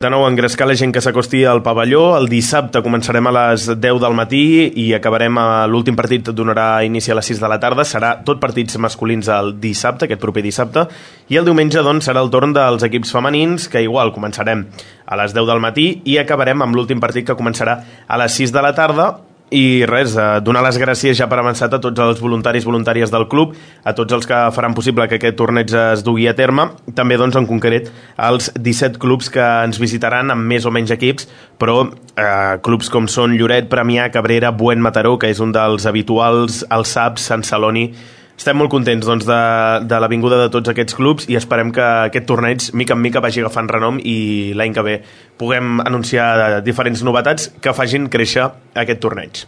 De nou, engrescar la gent que s'acosti al pavelló. El dissabte començarem a les 10 del matí i acabarem l'últim partit, donarà inici a les 6 de la tarda. Serà tot partits masculins el dissabte, aquest proper dissabte. I el diumenge, doncs, serà el torn dels equips femenins, que igual començarem a les 10 del matí i acabarem amb l'últim partit que començarà a les 6 de la tarda. I res, donar les gràcies ja per avançat a tots els voluntaris i voluntàries del club, a tots els que faran possible que aquest torneig es dugui a terme, també doncs en concret als 17 clubs que ens visitaran amb més o menys equips, però clubs com són Lloret, Premià, Cabrera, Buen, Mataró, que és un dels habituals, el SAPS, Sant Celoni. Estem molt contents doncs, de la vinguda de tots aquests clubs i esperem que aquest torneig mica en mica vagi agafant renom i l'any que ve puguem anunciar diferents novetats que facin créixer aquest torneig.